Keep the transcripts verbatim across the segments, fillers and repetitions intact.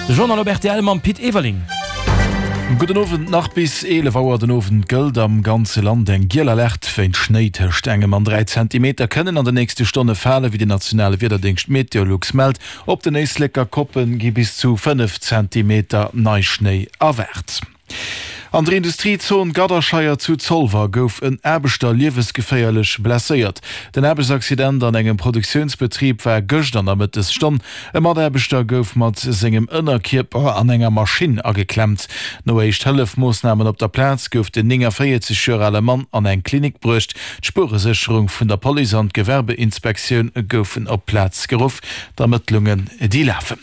De Journal op rtl mam Pit Everling. Gudden Owend, Nach bis eelef Auer den Owend gëllt am ganze Land eng giel Alerte wéint Schnéi. Tëscht engem an dräi Zentimeter kënnen an den nächste Stonne falen, wéi den nationale Wiederdéngscht Meteolux mellt. Op den Éisleker Koppe gi bis zu fënnef Zentimeter Neischnéi erwaart. An der Industriezon Gadderscheier zu Zolwer gouf en Aarbechter liewesgeféierlech blesséiert. Den Aarbechtsaccident an engem Produktiounsbetrib war gëscht an der Mëttesstonn. E Mataarbechter gouf mat sengem Ënnerkierper an enger Maschinn ageklemmt. No Éischt-Hëllef-Moossnamen op der Plaz gouf den néngavéierzeg Joer ale Mann an eng Klinik bruecht. D'Spueresécherung vun der Police an d'Gewerbeinspektioun goufen op d'Plaz geruff. D'Ermëttlungen, déi lafen.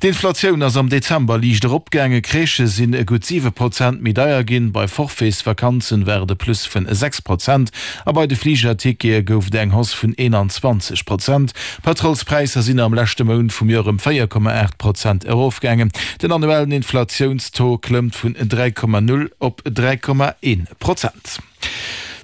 D'Inflatioun ass am Dezember liicht eropgaangen. Crèchë sinn gutt siwe Prozent méi deier ginn, bei Forfaitsvakanzen war et e Plus vun sechs Prozent a bei de Fligertickete gouf et eng Hausse vun eenanzwanzeg Prozent. D'Pëtrolspräisser sinn am leschte Mount vum Joer ëm véier Komma aacht Prozent erofgaangen. Den annuellen Inflatiounstaux klëmmt vun dräi Komma null op dräi Komma een Prozent.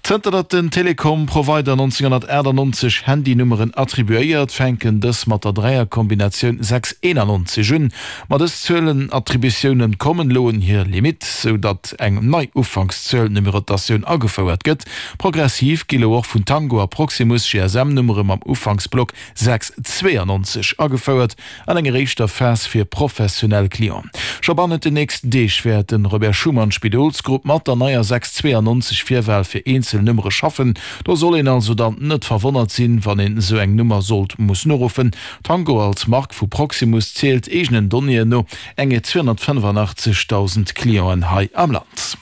Zënter datt den Telekom-Provider nonzénghonnertachtannonzeg Handynummeren attribuéiert, fänken dës mat der Dräierkombinatioun sechs eenannonzeg un. Ma dës Zuelenattributioune kommen elo un hir Limitt, sou datt eng nei Ufankszuel-Numerotatioun agefouert gëtt. Progressiv gi lo och vun Tango a Proximus G S M-Nummere mam Ufanksblock sechs zweeannonzeg agefouert, an enger éischter Phas fir professionell Clienten. Scho bannent den nächsten Deeg wäert de Robert Schuman Spidolsgrupp mat der neier sechs zweeannonzeg Virwal fir eenzel Nummere schaffen. Do soll een also dann net verwonnert sinn, wann een esou eng Nummer sollt mussen uruffen. Tango als Mark vu Proximus zielt eegenen Donnéeën no eng zweehonnertfënnefanachtzeghdausend Clienten hei am Land.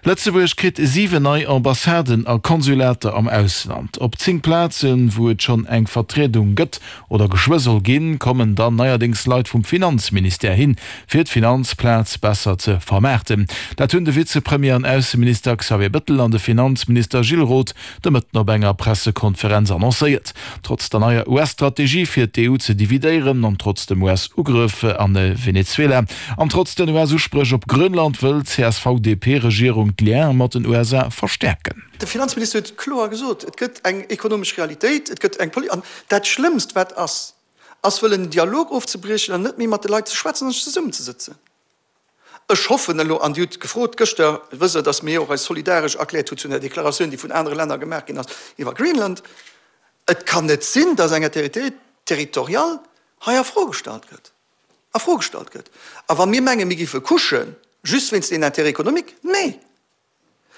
Lëtzebuerg kritt siwen nei Ambassaden a Konsulater am Ausland. Op zéng Plazen, wou et schonn eng Vertriedung gëtt oder geschwë soll ginn, kommen dann neierdéngs Leit vum Finanzministère hin, fir d'Finanzplaz besser ze vermaarten. Dat hunn de Vizepremier an Ausseminister Xavier Bettel an de Finanzminister Gilles Roth de Mëtten op enger Pressekonferenz annoncéiert. Trotz der neier U S-Strategie fir d'E U ze dividéieren an trotz dem U S-Ugrëff an Venezuela an trotz den U S-Uspréch op Grönland wëll d'C S V D P-Regierung d'Liene mat den U S A verstäerken. De Finanzminister huet kloer gesot, et gëtt eng ekonomesch Realitéit, et gëtt eng poli. An dat Schlëmmst wat ass, ass wëllen en Dialog ofzebriechen an net méi mat de Leit ze schwätzen an sech zesummenzesëtzen. Ech hoffen elo, an Dir hutt gefrot gëschter, wësst Der, datt mir och eis solidaresch erkläert hu zu der Deklaratioun, déi vun anere Länner gemaach ginn ass iwwer Greenland, et kann net sinn, datt eng Intégrité territoriale hei a Fro gestallt gëtt, a Fro gestallt gëtt. A wa mir mengen, mir géife couchen just wéinst den Intérêts économiques, nee!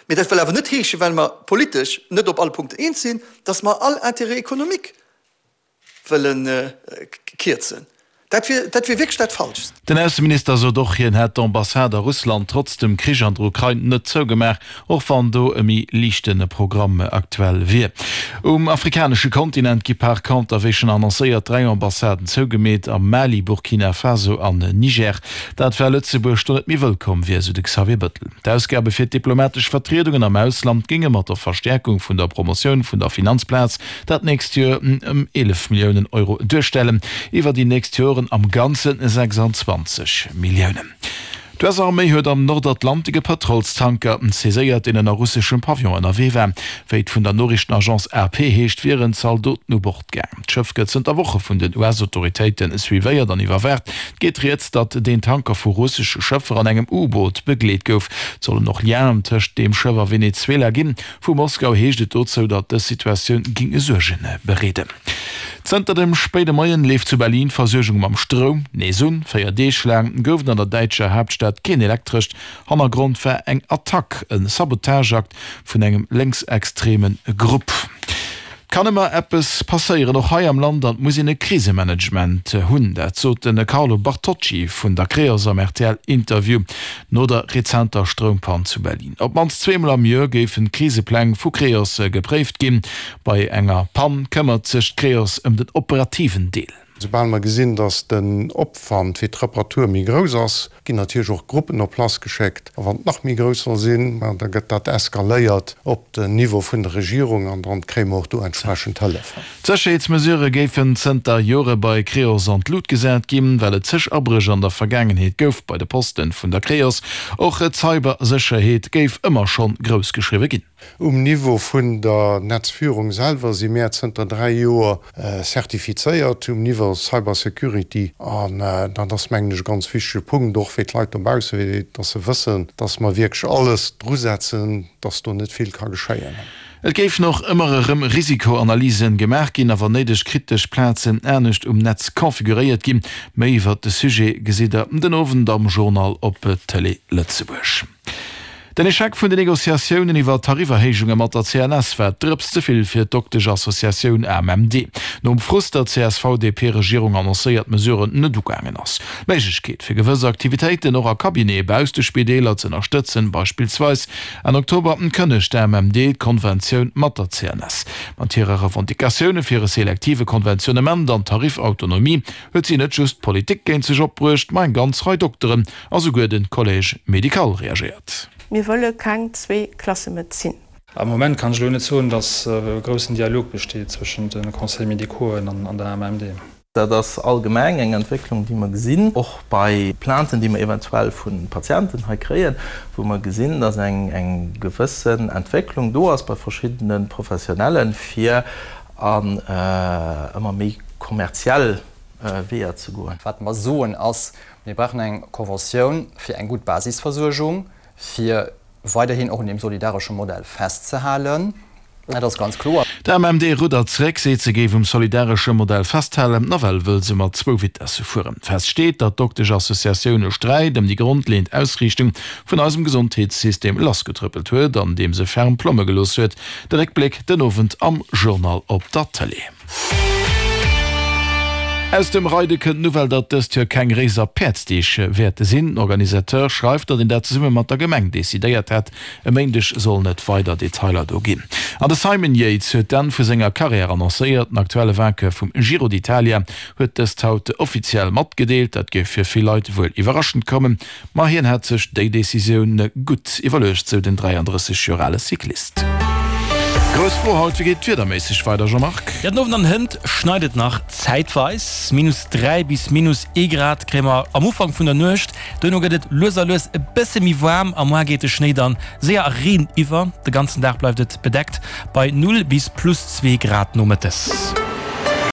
Mee dat wëll awer net heeschen, well mer politesch net op alle Punkten eens sinn, datt mer all Intérêt économique wëlle kierzen. Dat wier, dat wier wierklech dat Falschst. Den Ausseminister sot och, hien hätt d'Ambassade a Russland trotz dem Krich an der Ukrain net zougemaach, och wann do e méi liichte Programm aktuell wier. Um afrikanesche Kontinent gi par conter, wéi schonn annoncéiert, dräi Ambassaden zougemeet, am Mali, Burkina Faso an Niger. Dat well Lëtzebuerg do net méi wëllkomm wier, sou de Xavier Bettel. D'Ausgabe fir d'diplomatesch Vertriedungen am Ausland géinge mat der Verstäerkung vun der Promotioun vun der Finanzplaz dat nächst Joer ëm eelef Milliounen Euro duerstellen, iwwer déi nächst Joren am Ganze sechsanzwanzeg Milliounen. D'U S-Arméi huet am Nordatlantik e Pëtrolstanker saiséiert, deen ënner russeschem Pavillon ënnerwee war. Wéi et vun der Noriichtenagence A P heescht, wieren Zaldoten u Bord gaang. D'Schëff gëtt zënter Woche vun den U S-Autoritéite suivéiert an iwwerwaacht. Et geet rieds, datt deen Tanker vu russesche Schëffer an engem U-Boot begleet gouf. Et sollen och Lienen tëscht deem Schëff a Venezuela ginn. Vu Moskau heescht et dozou, datt dës Situatioun géing Suerge bereeden. Zënter dem spéide Moien leeft zu Berlin d'Versuergung mam Stroum nees un. Véier Deeg laang gouf et an der däitscher Haaptstad keen Elektrescht. Hannergrond war eng Attack, e Sabotageakt vun engem lénksextreme Grupp. Et kann ëmmer eppes passéieren, och hei am Land, an et muss een e Krisemanagement hunn. Dat sot de Carlo Bartocci vun der Creos am R T L-Interview no der rezenter Stroumpann zu Berlin. Op d'mannst zweemol am Joer géifen d'Krisepläng vu Creos gepréift ginn. Bei enger Pann këmmert sech d'Creos ëm den operativen Deel. Soubal mer gesinn, datt den Opwand fir d'Reparatur méi grouss ass, ginn natierlech och Gruppen op Place geschéckt. A wann et nach méi grouss soll sinn, ma da gëtt dat eskaléiert op den Niveau vun der Regierung an dann kréie mer och do entsprechend Hëllef. D'Sécherheetsmesurë géifen zënter Jore bei Creos an d'Lut gesat ginn, well et zeg Abréch an der Vergaangenheet gouf bei de Posten vun der Creos. Och d'Cybersécherheet géif ëmmer schonn grouss geschriwwe ginn. Um Niveau vun der Netzführung selwer si mär zënter dräi Joer zertifizéiert um Niveau Cybersecurity. An dat ass, mengen ech, e ganz wichtege Punkt, och fir d'Leit dobausse, fir datt se wëssen, datt mer wierklech alles drusetzen, datt do net vill ka geschéien. Et géifen och ëmmer erëm Risikoanalysen gemaach ginn a wann néideg kritesch Plazen anescht um Netz configuréiert ginn. Méi iwwert de Sujet gesitt der den Owend am Journal op Tëlee Lëtzebuerg. Den Echec vun den Negociatiounen iwwer d'Tariferhéijunge mat der C N S war d'Drëps ze vill fir d'Doktesch-Associatioun A M M D. Nom Frust, datt d'C S V-D P-Regierung annoncéiert Mesuren net ugaangen ass, d'Méiglechkeet fir gewëss Aktivitéiten och a Cabinete bausst de Spideeler z'ënnerstëtzen, beispillsweis Enn Oktober kënnegt d'A M M D d'Konventioun mat der C N S. Mat hire Revendicatioune fir e selektive Konventionnement an Tarifautonomie huet si net just d'Politik géint sech opbruecht, ma eng ganz Rei Dokteren a souguer de Collège médical reagéiert. Mir wëlle keng Zwee-Klasse-Medezin. Am Moment kann ech elo net soen, datt e groussen Dialog besteet zwëschent de Conseils médicauxen an der A M M D. Dat ass allgemeng eng Entwécklung, déi mer gesinn, och bei Plainten, déi mer eventuell vu Patienten hei kréien, wou mer gesinn, datt eng gewëssen Entwécklung do ass bei verschiddene Professionellen, fir an ëmmer méi kommerziell Weeër ze goen. Wat mer soen ass, mir brauchen eng Conventioun fir eng gutt Basisversuergung, fir weiderhin och un deem solidaresche Modell festzehalen. Dat ass ganz kloer. D'A M M D ruddert zeréck, seet se géif um solidaresche Modell festhalen, nawell wëll se mat zwou Vitesse fueren. Fest steet, datt d'Doktesch-Associatioun e Sträit ëm déi grondleeënd Ausriichtung vun eisem Gesondheetssystem lassgetrëppelt huet, an deem se ferm Plomme gelooss huet. De Réckbléck den Owend am Journal op der Tëlee. Aus dem Reide kënnt d'Nouvelle, datt dëst Joer keng Réiser Päerdsdeeg wäerte sinn. Den Organisateur schreift, datt een dat zesumme mat der Gemeng decidéiert hätt. E Méindeg sollen et weider Detailer do ginn. An de Simon Yates huet d'Enn vu senger Karriär annoncéiert. Den aktuelle Vainqueur vum Giro d'Italia huet dëst haut offiziell matgedeelt. Dat géif fir vill Leit wuel iwwerraschend kommen, ma hien hätt sech déi Decisioun gutt iwwerluecht, sou den dräiandrësseg Joer ale Cyclist. Grouss Fro haut, Wéi geet et wiederméisseg weider, Jean-Marc? Jo, den Owend an hënt schneit et nach zäitweis. Minus dräi bis minus ee Grad kréie mer am Ufank vun der Nuecht. Duerno gëtt et lues a lues e bësse méi waarm a muer geet de Schnéi dann séier a Reen iwwer. De ganzen Dag bleift et bedeckt bei null bis plus zwee Grad nomëttes.